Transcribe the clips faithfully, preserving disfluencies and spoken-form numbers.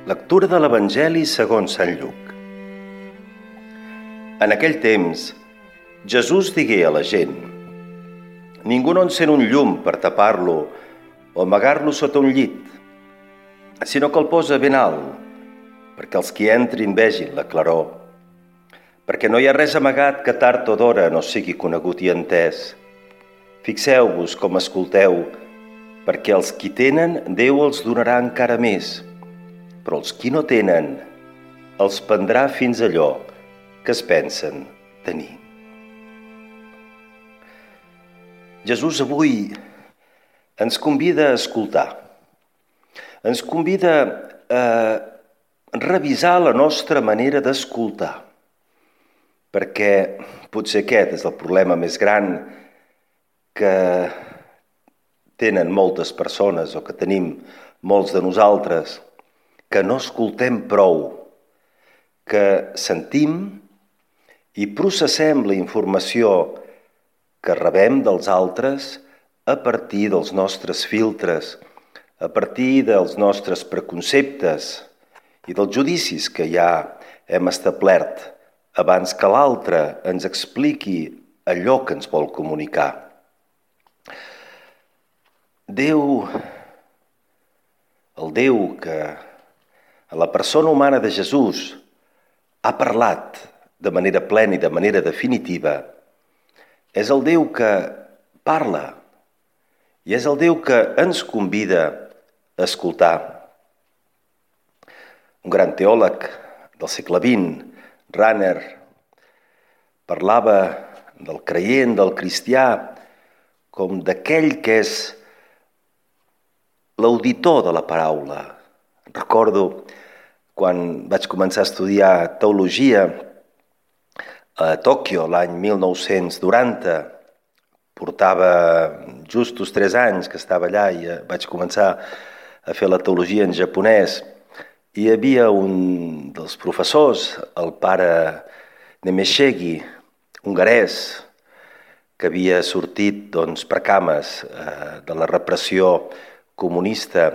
Lectura de l'Evangeli segons Sant Lluc. En aquell temps, Jesús digué a la gent: «Ningú no encén un llum per tapar-lo o amagar-lo sota un llit, sinó que el posa ben alt, perquè els qui entrin vegin la claror. Perquè no hi ha res amagat que tard o d'hora no sigui conegut i entès. Fixeu-vos com escolteu, perquè els qui tenen, Déu els donarà encara més, però els qui no tenen, els prendrà fins allò que es pensen tenir». Jesús avui ens convida a escoltar. Ens convida a revisar la nostra manera d'escoltar, perquè potser aquest és el problema més gran que tenen moltes persones o que tenim molts de nosaltres, que no escoltem prou, que sentim i processem la informació que rebem dels altres a partir dels nostres filtres, a partir dels nostres preconceptes i dels judicis que ja hem establert abans que l'altre ens expliqui allò que ens vol comunicar. Déu, el Déu que a la persona humana de Jesús ha parlat de manera plena i de manera definitiva, és el Déu que parla i és el Déu que ens convida a escoltar. Un gran teòleg del segle vint, Rahner, parlava del creient, del cristià, com d'aquell que és l'auditor de la paraula. Recordo quan vaig començar a estudiar teologia a Tòquio l'any mil nou-cents noranta, portava justos tres anys que estava allà i vaig començar a fer la teologia en japonès. I hi havia un dels professors, el pare Nemeshegi, hongarès, que havia sortit doncs, per cames eh, de la repressió comunista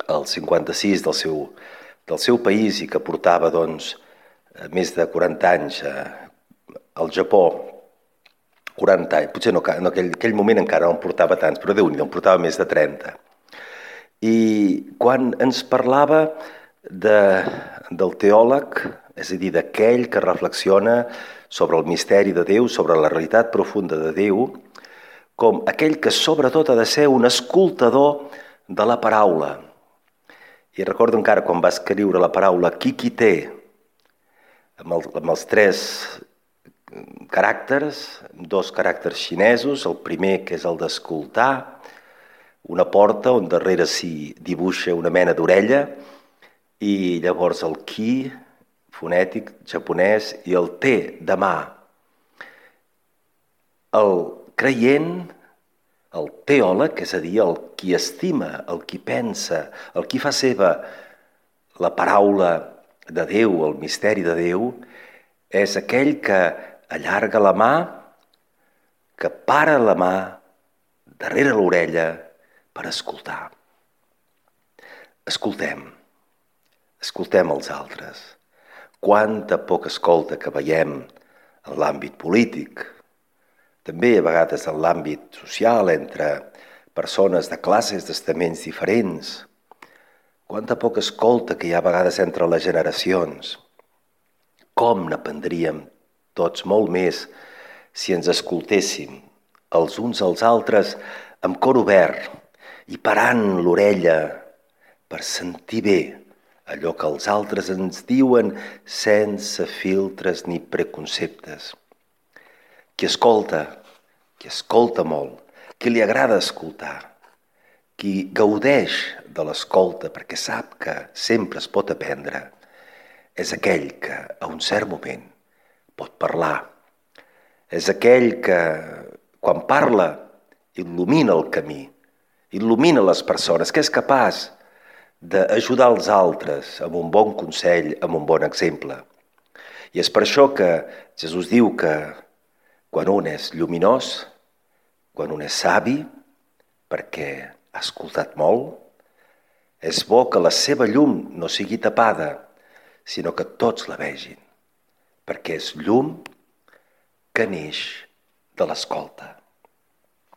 al cinquanta-sis del seu, del seu país i que portava doncs, més de quaranta anys eh, al Japó. quaranta anys, potser no, en aquell, aquell moment encara no en portava tants, però Déu-n'hi-do, en portava més de trenta. I quan ens parlava de, del teòleg, és a dir, d'aquell que reflexiona sobre el misteri de Déu, sobre la realitat profunda de Déu, com aquell que sobretot ha de ser un escoltador de la paraula. I recordo encara quan va escriure la paraula Kikite, amb, el, amb els tres caràcters, dos caràcters xinesos, el primer que és el d'escoltar, una porta on darrere s'hi dibuixa una mena d'orella, i llavors el ki, fonètic japonès, i el te, de mà. El creient, el teòleg, és a dir, el qui estima, el qui pensa, el qui fa seva la paraula de Déu, el misteri de Déu, és aquell que allarga la mà, que para la mà darrere l'orella per escoltar. Escoltem, escoltem els altres. Quanta poca escolta que veiem en l'àmbit polític, també a vegades en l'àmbit social, entre persones de classes, d'estaments diferents. Quanta poca escolta que hi ha a vegades entre les generacions. Com n'aprendríem tots molt més si ens escoltéssim els uns als altres amb cor obert i parant l'orella per sentir bé allò que els altres ens diuen sense filtres ni preconceptes. Qui escolta, qui escolta molt, qui li agrada escoltar, qui gaudeix de l'escolta perquè sap que sempre es pot aprendre, és aquell que a un cert moment pot parlar. És aquell que, quan parla, il·lumina el camí, il·lumina les persones, que és capaç d'ajudar els altres amb un bon consell, amb un bon exemple. I és per això que Jesús diu que quan un és lluminós, quan un és savi, perquè ha escoltat molt, És bo que la seva llum no sigui tapada, sinó que tots la vegin, perquè és llum que neix de l'escolta.